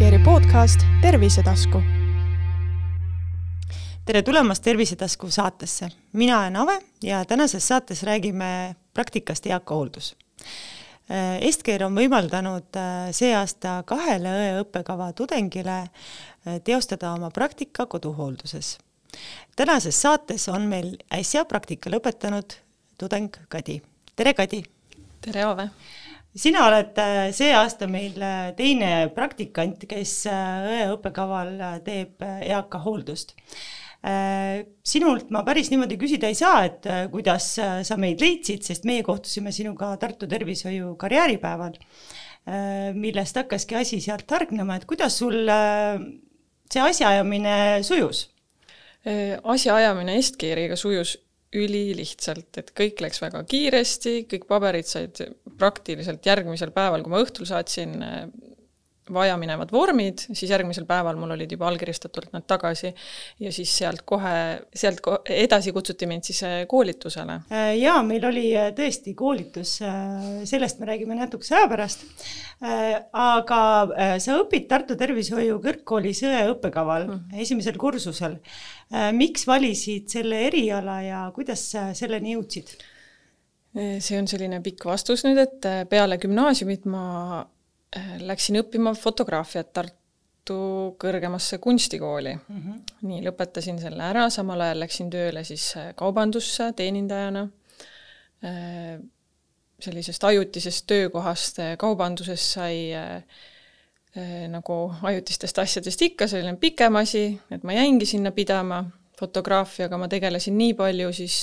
Healthcare'i podcast Tervisetasku. Tere tulemast Tervisetasku saatesse. Mina olen Ave ja tänases saates räägime praktikast eakahooldus. Healthcare on võimaldanud see aasta 2 õppekava tudengile teostada oma praktika koduhoolduses. Tänases saates on meil äsja praktika lõpetanud tudeng Kadi. Tere Kadi! Tere Ave! Sina oled see aasta meil teine praktikant, kes õppekaval teeb eakahooldust. Sinult ma päris niimoodi küsida ei saa, et kuidas sa meid leidsid, sest meie kohtusime sinuga Tartu tervishoiu karjääripäeval, millest hakkaski asi sealt hargnema, et kuidas sul see asjaajamine sujus? Asjaajamine Healthcare'iga sujus ülilihtsalt, et kõik läks väga kiiresti, kõik paberid said praktiliselt järgmisel päeval, kui ma õhtul saatsin vajaminevad vormid, siis järgmisel päeval mul olid juba allkirjastatult nad tagasi ja siis sealt edasi kutsuti mind siis koolitusele. Jaa, meil oli tõesti koolitus, sellest me räägime natukese aja pärast, aga sa õpid Tartu tervishoiu kõrgkoolis õppekaval esimesel kursusel. Miks valisid selle eriala ja kuidas selleni jõudsid? See on selline pikk vastus nüüd, et peale gümnaasiumit ma läksin õppima fotograafiat Tartu kõrgemasse kunstikooli. Nii, lõpetasin selle ära, samal ajal läksin tööle siis kaubandusse teenindajana. Sellisest ajutisest töökohast kaubanduses sai nagu ajutistest asjadest ikka selline pikem asi, et ma jäingi sinna pidama fotograafiaga, ma tegelesin nii palju siis,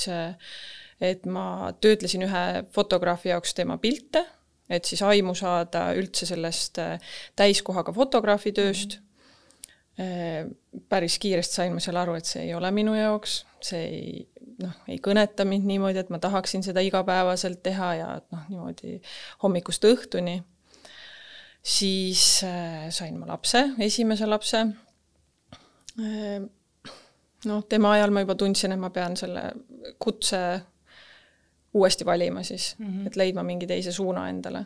et ma töötlesin ühe fotograafi jaoks tema pilte, et siis aimu saada üldse sellest täiskohaga fotograafi tööst. Päris kiiresti sain ma seal aru, et see ei ole minu jaoks, see ei kõneta mind niimoodi, et ma tahaksin seda igapäevaselt teha ja niimoodi hommikust õhtuni. Siis sain ma lapse, esimese lapse. Tema ajal ma juba tundsin, et ma pean selle kutse uuesti valima siis, et leidma mingi teise suuna endale.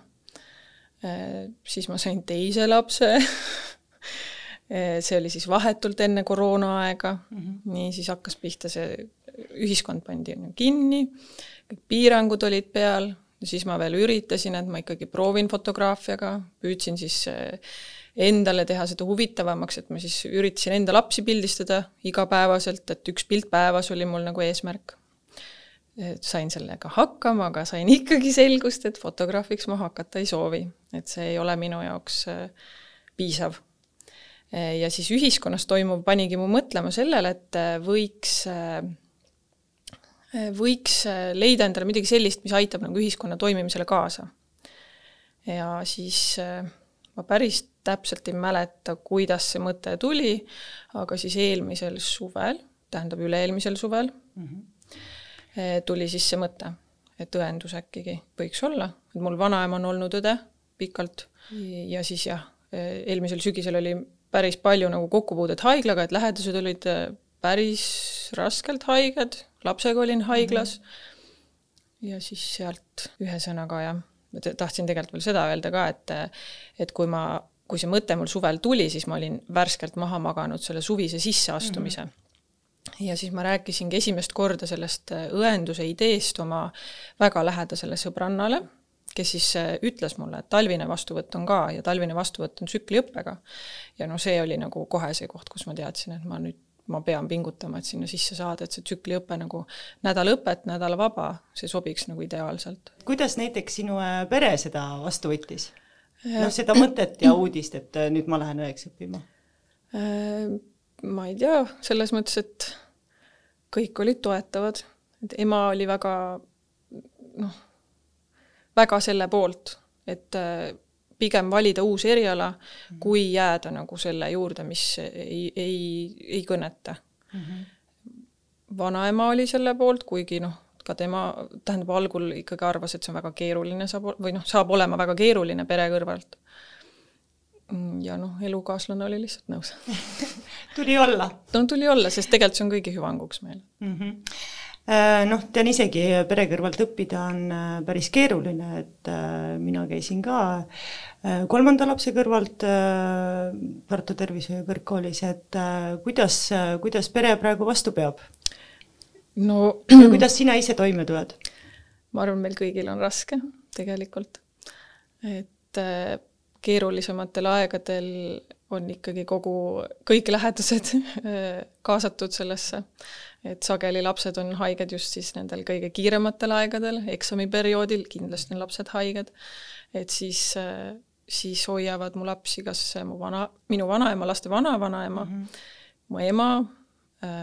Siis ma sain teise lapse. See oli siis vahetult enne koroonaaega. Nii siis hakkas pihta see ühiskond pandi kinni. Kõik piirangud olid peal. Ja siis ma veel üritasin, et ma ikkagi proovin fotograafiaga. Püüdsin siis endale teha seda huvitavamaks, et ma siis üritasin enda lapsi pildistada igapäevaselt, et üks pilt päevas oli mul nagu eesmärk. Sain sellega hakkama, aga sain ikkagi selgust, et fotograafiks ma hakata ei soovi. Et see ei ole minu jaoks piisav. Ja siis ühiskonnas toimuv panigi mu mõtlema sellele, et võiks leida endale midagi sellist, mis aitab nagu ühiskonna toimimisele kaasa. Ja siis ma päris täpselt ei mäleta, kuidas see mõte tuli, aga siis eelmisel suvel, tähendab üle-eelmisel suvel, tuli siis see mõte, et õendus äkkigi võiks olla. Et mul vanaema on olnud õde pikalt ja siis eelmisel sügisel oli päris palju nagu kokkupuudet haiglaga, et lähedased olid päris raskelt haiged, lapsega olin haiglas ja siis sealt ühesõnaga tahtsin tegelikult veel seda öelda ka, et kui see mõte mul suvel tuli, siis ma olin värskelt maha maganud selle suvise sisseastumise. Ja siis ma rääkisingi esimest korda sellest õenduse ideest oma väga lähedasele sõbrannale, kes siis ütles mulle, et talvine vastuvõtt on ka ja talvine vastuvõtt on tsükliõppega. Ja see oli nagu kohe see koht, kus ma teadsin, et ma pean pingutama, et sinna sisse saada, et see tsükliõppe nagu nädalõpet, nädala vaba, see sobiks nagu ideaalselt. Kuidas näiteks sinu pere seda vastu võttis? Seda mõtet ja uudist, et nüüd ma lähen õeks õppima? Ma ei tea, selles mõttes, et kõik olid toetavad. Et ema oli väga selle poolt, et pigem valida uus eriala, kui jääda nagu selle juurde, mis ei kõneta. Vanaema oli selle poolt, kuigi ka tema tähendab algul ikkagi arvas, et see on väga keeruline, saab olema väga keeruline pere kõrvalt. Ja elukaaslane oli lihtsalt nõus. Tuli olla? Tuli olla, sest tegelikult see on kõigi hüvanguks meil. Noh, tean isegi, pere kõrvalt õppida on päris keeruline, et mina käisin ka 3. lapse kõrvalt Tartu Tervishoiu kõrgkoolis, et kuidas pere praegu vastu peab? No, ja kuidas sina ise toime tuled? Ma arvan, meil kõigil on raske tegelikult, et keerulisematel aegadel on ikkagi kõik lähedased kaasatud sellesse, et sageli lapsed on haiged just siis nendel kõige kiirematel aegadel, eksamiperioodil kindlasti on lapsed haiged, et siis hoiavad mu lapsi kas minu vanaema, laste vanavanaema, mu ema,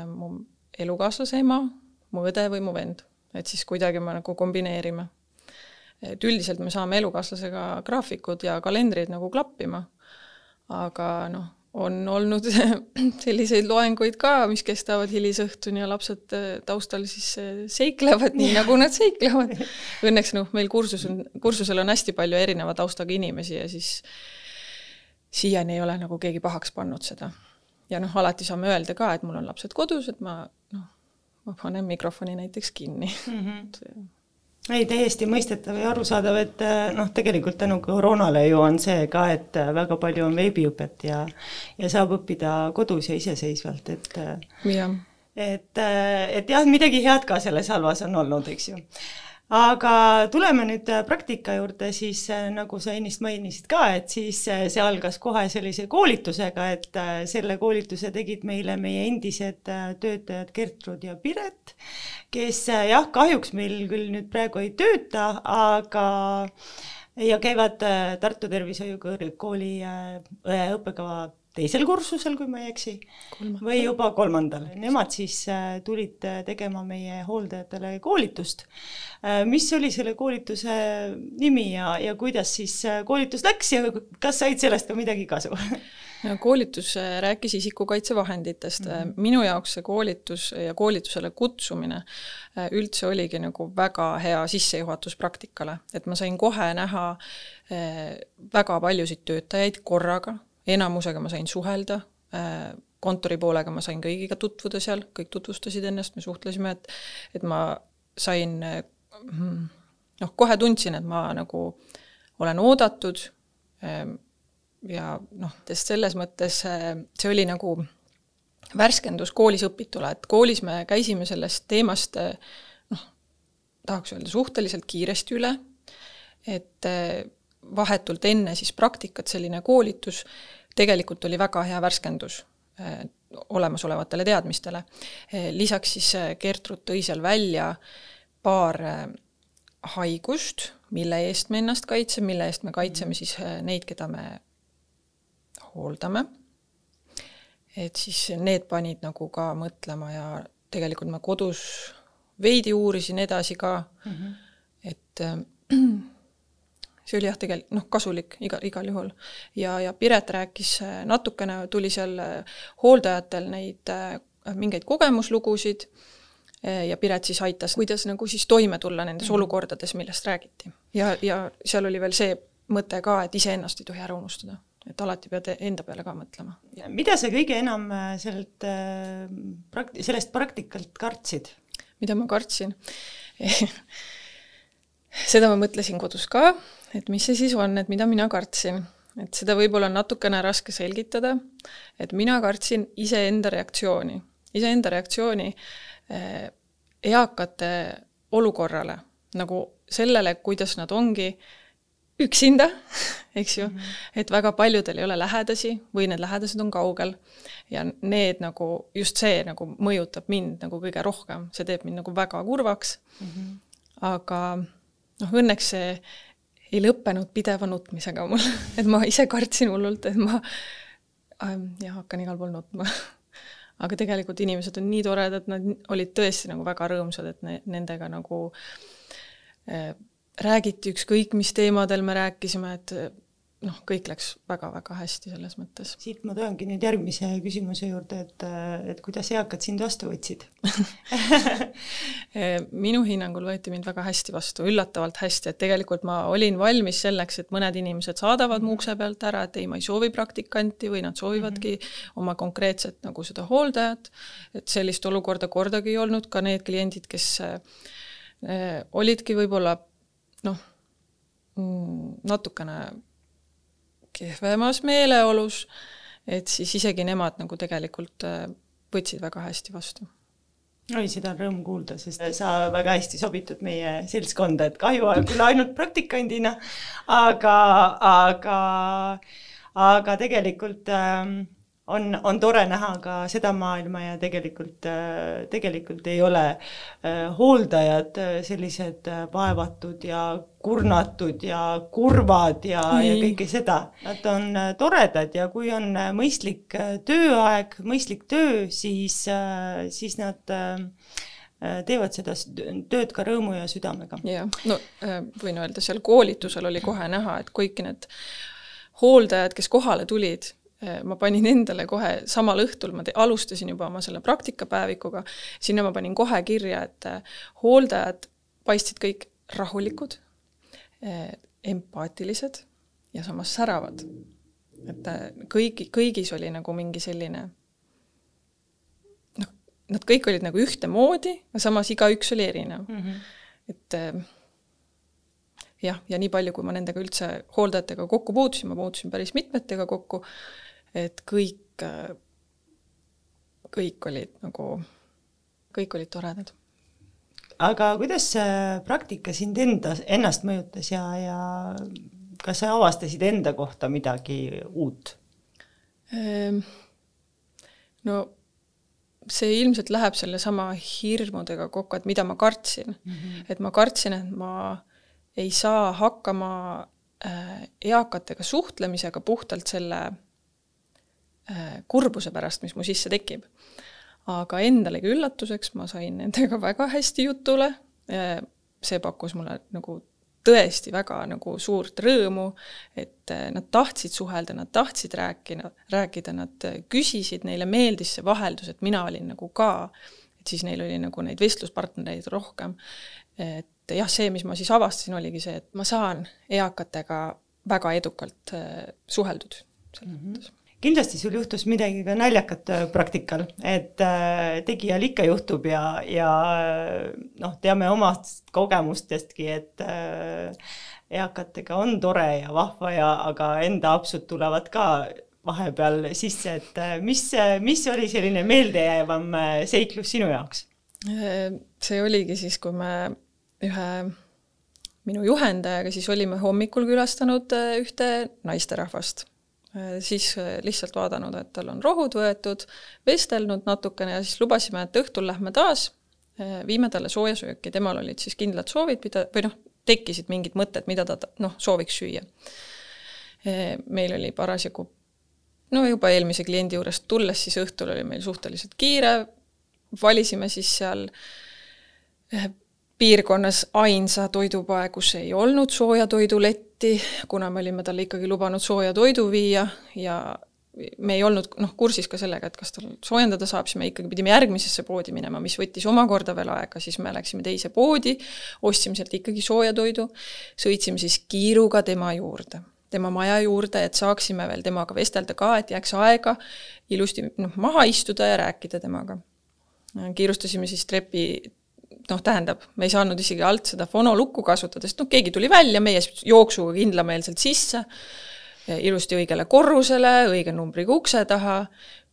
mu elukaaslase ema, mu õde või mu vend, et siis kuidagi me nagu kombineerime. Et üldiselt me saame elukaaslasega graafikud ja kalendrid nagu klappima, aga on olnud selliseid loenguid ka, mis kestavad hilisõhtuni ja lapsed taustal siis seiklevad nii, nagu nad seiklevad. Õnneks meil kursusel on hästi palju erineva taustaga inimesi ja siis siiani ei ole nagu keegi pahaks pannud seda. Ja alati saame öelda ka, et mul on lapsed kodus, et ma panen mikrofoni näiteks kinni. Ei, täiesti mõistetav ja arusaadav, et tegelikult tänu koroonale ju on see ka, et väga palju on veebiõpet ja saab õppida kodus ja iseseisvalt, et jah, midagi head ka selles halvas on olnud, eks ju. Aga tuleme nüüd praktika juurde, siis nagu sa ennist mainisid ka, et siis see algas kohe sellise koolitusega, et selle koolituse tegid meile meie endised töötajad Gertrud ja Piret, kes jah, kahjuks meil küll nüüd praegu ei tööta, aga ja käivad Tartu Tervishoiu kõrgkooli õppekava teisel kursusel, kui ma ei eksi, või juba 3. Nemad siis tulid tegema meie hooldajatele koolitust. Mis oli selle koolituse nimi ja kuidas siis koolitus läks ja kas said sellest ka midagi kasu? Koolitus rääkis isikukaitsevahenditest. Minu jaoks see koolitus ja koolitusele kutsumine üldse oligi nagu väga hea sissejuhatus praktikale, et ma sain kohe näha väga paljusid töötajaid korraga, enamusega ma sain suhelda, kontori poolega ma sain kõigiga tutvuda seal, kõik tutvustasid ennast, me suhtlesime, et ma sain, kohe tundsin, et ma nagu olen oodatud ja sest selles mõttes see oli nagu värskendus koolis õpitule, et koolis me käisime sellest teemast, tahaks öelda, suhteliselt kiiresti üle, et vahetult enne siis praktikat selline koolitus tegelikult oli väga hea värskendus olemasolevatele teadmistele. Lisaks siis Gertrud tõi seal välja paar haigust, mille eest me ennast kaitseme, mille eest me kaitseme siis neid, keda me hooldame. Et siis need panid nagu ka mõtlema ja tegelikult ma kodus veidi uurisin edasi ka, et see oli jah tegelikult kasulik igal juhul. Ja Piret rääkis natukene, tuli seal hooldajatel neid mingeid kogemuslugusid ja Piret siis aitas, kuidas nagu siis toime tulla nendes olukordades, millest räägiti. Ja seal oli veel see mõte ka, et iseennast ei tohi ära unustada, et alati pead enda peale ka mõtlema. Mida sa kõige enam sellest praktikalt kartsid? Mida ma kartsin? Seda ma mõtlesin kodus ka, et mis see siis on, et mida mina kartsin. Et seda võib-olla on natukene raske selgitada, et mina kartsin iseenda reaktsiooni. Iseenda reaktsiooni eakate olukorrale, nagu sellele, kuidas nad ongi üksinda, eks ju, et väga paljudel ei ole lähedasi või need lähedased on kaugel ja need nagu, just see nagu mõjutab mind nagu kõige rohkem, see teeb mind nagu väga kurvaks, aga õnneks see ei lõppenud pideva nutmisega mul, et ma ise kartsin hullult, et ma hakkan igal pool nutma. Aga tegelikult inimesed on nii toredad, nad olid tõesti nagu väga rõõmsad, et nendega nagu räägiti ükskõik, mis teemadel me rääkisime, et kõik läks väga-väga hästi selles mõttes. Siit ma toongi nüüd järgmise küsimuse juurde, et kuidas eakad sind vastu võtsid? Minu hinnangul võeti mind väga hästi vastu, üllatavalt hästi, et tegelikult ma olin valmis selleks, et mõned inimesed saadavad mu ukse pealt ära, et ei, ma ei soovi praktikanti või nad soovivadki oma konkreetset nagu seda hooldajat, et sellist olukorda kordagi ei olnud, ka need kliendid, kes olidki võib-olla natukene kehvemas meeleolus, et siis isegi nemad nagu tegelikult võtsid väga hästi vastu. Oi, seda on rõõm kuulda, sest sa väga hästi sobitud meie seltskonda, et kahju küll ainult praktikandina, aga tegelikult on tore näha ka seda maailma ja tegelikult ei ole hooldajad sellised vaevatud ja kurnatud ja kurvad ja kõike seda. Nad on toredad ja kui on mõistlik tööaeg, mõistlik töö, siis nad teevad seda tööd ka rõõmu ja südamega. Ja, võin öelda, seal koolitusel oli kohe näha, et kõik need hooldajad, kes kohale tulid, ma panin endale kohe samal õhtul, ma alustasin juba oma selle praktikapäevikuga, sinna ma panin kohe kirja, et hooldajad paistsid kõik rahulikud, empaatilised ja samas säravad. Et kõigis oli nagu mingi selline, nad kõik olid nagu ühte moodi, ja samas igaüks oli erinev. Et jah, ja nii palju, kui ma nendega üldse hooldajatega kokku puutusin, ma puutusin päris mitmetega kokku, et kõik olid olid toredad. Aga kuidas praktika sind ennast mõjutas ja kas sa avastasid enda kohta midagi uut? No see ilmselt läheb selle sama hirmudega kokku, et mida ma kartsin. Et ma kartsin, et ma ei saa hakkama eakatega suhtlemisega puhtalt selle kurbuse pärast, mis mu sisse tekib. Aga endalegi üllatuseks ma sain nendega väga hästi jutule. See pakkus mulle nagu tõesti väga nagu suurt rõõmu, et nad tahtsid suhelda, nad tahtsid rääkida, nad küsisid, neile meeldis see vaheldus, et mina olin nagu ka, et siis neil oli nagu neid vestluspartnereid rohkem. Et jah, see, mis ma siis avastasin, oligi see, et ma saan eakatega väga edukalt suheldud selles mõttes. Kindlasti sul juhtus midagi ka naljakat praktikal, et tegijal ikka juhtub ja teame omast kogemustestki, et eakatega on tore ja vahva aga enda apsud tulevad ka vahepeal sisse, et mis oli selline meeldejäävam seiklus sinu jaoks? See oligi siis, kui me ühe minu juhendajaga siis olime hommikul külastanud ühte naisterahvast. Siis lihtsalt vaadanud, et tal on rohud võetud, vestelnud natukene ja siis lubasime, et õhtul lähme taas, viime talle sooja sööki. Temal olid siis kindlad soovid, tekkisid mingid mõtted, mida ta sooviks süüa. Meil oli parasjagu, juba eelmise kliendi juurest tulles, siis õhtul oli meil suhteliselt kiire, valisime siis seal piirkonnas ainsa toidupoe, kus ei olnud sooja toiduletti, kuna me olime talle ikkagi lubanud sooja toidu viia ja me ei olnud kursis ka sellega, et kas tal soojendada saab, siis me ikkagi pidime järgmisesse poodi minema, mis võttis omakorda veel aega, siis me läksime teise poodi, ostsime sealt ikkagi sooja toidu, sõitsime siis kiiruga tema juurde, tema maja juurde, et saaksime veel temaga vestelda ka, et jääks aega ilusti maha istuda ja rääkida temaga. Kiirustasime siis trepi tähendab, me ei saanud isegi alt seda fonolukku kasutada, sest keegi tuli välja meie jooksuga kindlameelselt sisse, ilusti õigele korrusele, õige numbriga ukse taha,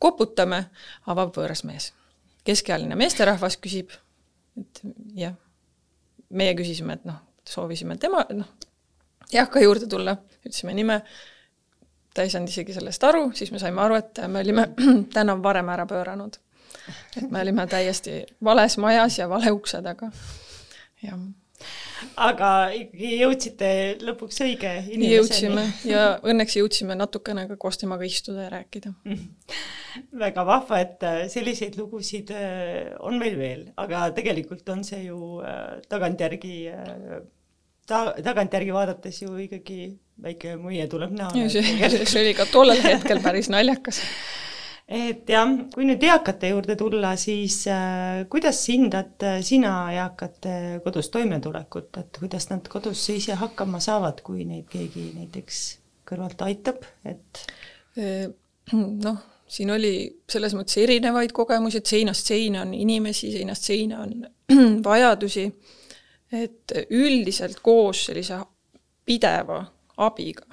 koputame, avab võõras mees. Keskealine meesterahvas küsib, et jah, meie küsisime, et soovisime tema eaka juurde tulla, ütlesime nime, ta ei saanud isegi sellest aru, siis me saime aru, et me olime täna varem ära pööranud. Et me olime täiesti vales majas ja vale ukse taga. Ja. Aga ikkagi jõudsite lõpuks õige inimeseni. Jõudsime ja õnneks jõudsime natukene ka koos temaga istuda ja rääkida. Väga vahva, et selliseid lugusid on meil veel, aga tegelikult on see ju tagantjärgi tagantjärgi vaadates ju ikkagi väike muie tuleb näha. See oli ka tollel hetkel päris naljakas. Et jah, kui nüüd eakate juurde tulla, siis kuidas hindad sina eakate kodus toimetulekut, et kuidas nad kodus ise hakkama saavad, kui neid keegi näiteks kõrvalt aitab, et noh, siin oli selles mõttes erinevaid kogemusi, et seinast seina on inimesi, seinast seina on vajadusi, et üldiselt koos sellise pideva abiga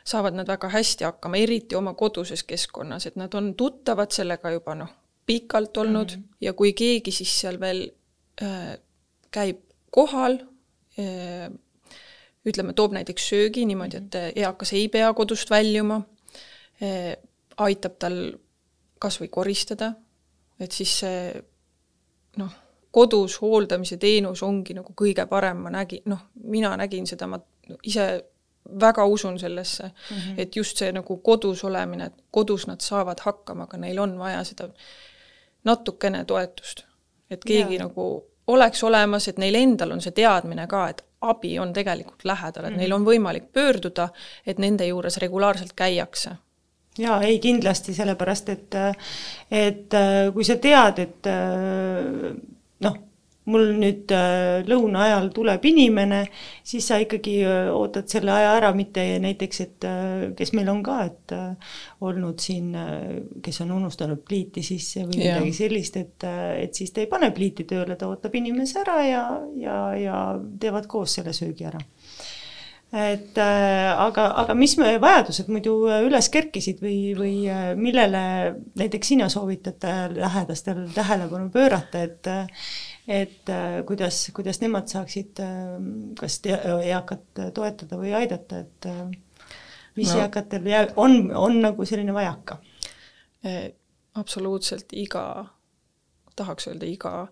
saavad nad väga hästi hakkama, eriti oma koduses keskkonnas, et nad on tuttavad sellega juba pikalt olnud ja kui keegi siis seal veel käib kohal, ütleme, toob näiteks söögi niimoodi, et eakas ei pea kodust väljuma, aitab tal kas või koristada, et siis see kodus hooldamise teenus ongi nagu kõige parem, mina nägin seda, ma ise väga usun sellesse, et just see nagu kodus olemine, et kodus nad saavad hakkama, aga neil on vaja seda natukene toetust. Et keegi nagu oleks olemas, et neil endal on see teadmine ka, et abi on tegelikult lähedal, et neil on võimalik pöörduda, et nende juures regulaarselt käiakse. Jaa, ei kindlasti, sellepärast, et kui sa tead, et mul nüüd lõuna ajal tuleb inimene, siis sa ikkagi ootad selle aja ära, mitte näiteks, et kes meil on ka, et olnud siin, kes on unustanud pliiti sisse või midagi sellist, et siis ta ei pane pliiti tööle, ta ootab inimese ära ja teevad koos selle söögi ära. Et, aga mis vajadused muidu üles kerkisid või millele näiteks sina soovitad lähedastel tähelepanu pöörata, et kuidas nemad saaksid kas eakat toetada või aidata, et mis eakatel on nagu selline vajaka? Absoluutselt tahaks öelda iga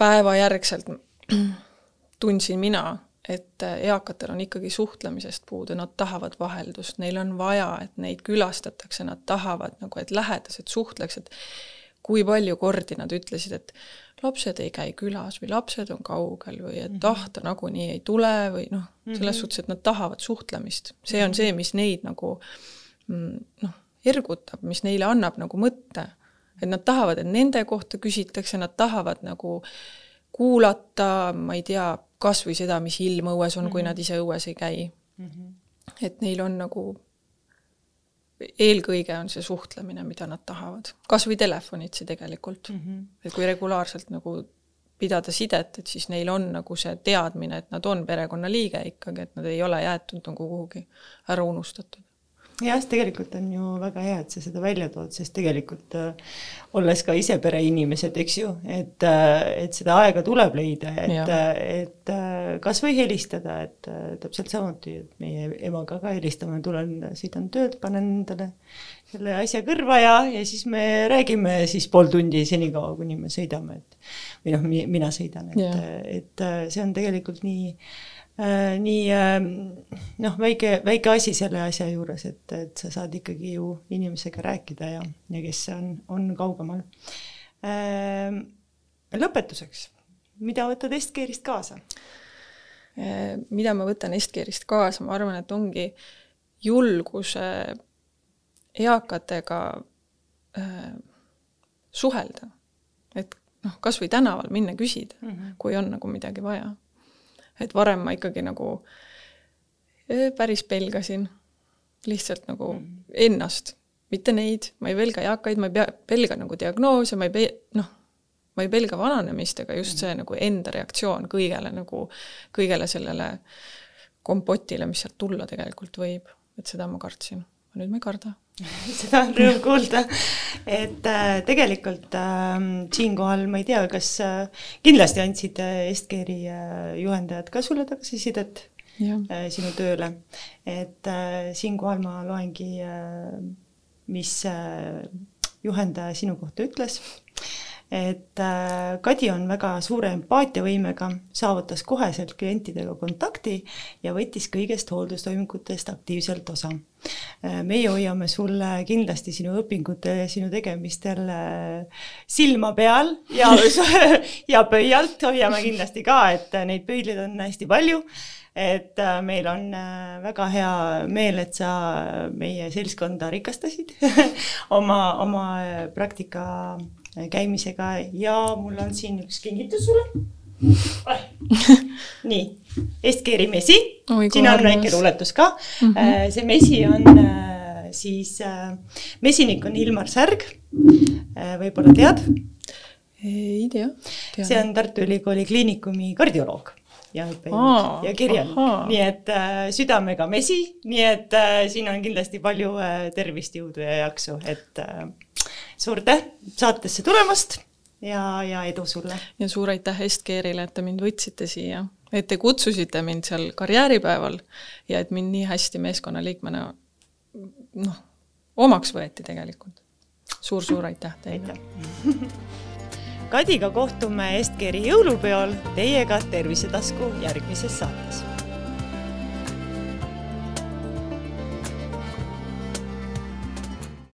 päeva järgselt tundsin mina, et eakatel on ikkagi suhtlemisest puudu, nad tahavad vaheldust, neil on vaja, et neid külastatakse, nad tahavad, et lähedased suhtleks, et kui palju kordi nad ütlesid, et lapsed ei käi külas või lapsed on kaugel või et ta nagunii ei tule või selles suhtes, et nad tahavad suhtlemist. See on see, mis neid nagu ergutab, mis neile annab nagu mõtte. Et nad tahavad, et nende kohta küsitakse, nad tahavad nagu kuulata, ma ei tea, kas või seda, mis ilm õues on, kui nad ise õues ei käi. Et neil on nagu eelkõige on see suhtlemine, mida nad tahavad. Kas või telefonitsi tegelikult. Et kui regulaarselt nagu pidada sidet, et siis neil on nagu see teadmine, et nad on perekonna liige ikkagi, et nad ei ole jäetud nagu kuhugi ära unustatud. Jah, tegelikult on ju väga hea, et sa seda välja tood, sest tegelikult olles ka ise pereinimesed, eks ju, et seda aega tuleb leida, et kas või helistada, et täpselt samuti, et meie emaga ka helistame, sõidan töölt, panen endale selle asja kõrva ja siis me räägime siis pool tundi senikaua, kuni me sõidame, või mina sõidan, et see on tegelikult nii väike asi selle asja juures, et sa saad ikkagi ju inimesega rääkida ja kes on kaugemal. Lõpetuseks, mida võtad Estkeerist kaasa? Mida ma võtan Estkeerist kaasa? Ma arvan, et ongi julguse eakatega suhelda. Et kas või tänaval minna küsida, kui on nagu midagi vaja. Et varem ma ikkagi nagu päris pelgasin lihtsalt nagu ennast, mitte neid, ma ei pelga eakaid, ma ei pelga nagu diagnoose, ma ei pelga vananemist, aga just see nagu enda reaktsioon kõigele sellele kompotile, mis sealt tulla tegelikult võib, et seda ma kartsin. Nüüd ma ei karda. Seda on rõõm kuulda, et tegelikult siinkohal ma ei tea, kas kindlasti andsid Estkeeri juhendajad ka sulle tagasisidet sinu tööle, et siinkohal ma loengi, mis juhendaja sinu kohta ütles, et Kadi on väga suure empaatiavõimega, saavutas koheselt klientidega kontakti ja võttis kõigest hooldustoimingutest aktiivselt osa. Meie hoiame sulle kindlasti sinu õpingute ja sinu tegemistel silma peal ja pöialt hoiame kindlasti ka, et neid pöidlid on hästi palju, et meil on väga hea meel, et sa meie seltskonda rikastasid oma praktika käimisega ja mul on siin üks kingitus sulle. Nii, Estkeeri mesi, siin on väike luuletus ka. See mesi on siis, mesinik on Ilmar Särg, võib-olla tead? Ei tea. See on Tartu Ülikooli kliinikumi kardioloog ja kirjanik, nii et südamega mesi, nii et siin on kindlasti palju tervist, jõudu ja jaksu, et suur täht saatesse tulemast ja edu sulle. Ja suur aitäh Estkeerile, et te mind võtsite siia, et te kutsusite mind seal karjääripäeval ja et mind nii hästi meeskonnaliikmena omaks võeti tegelikult. Suur aitäh teile. Kadiga kohtume Estkeeri jõulupeol, teiega Tervisetasku järgmises saates.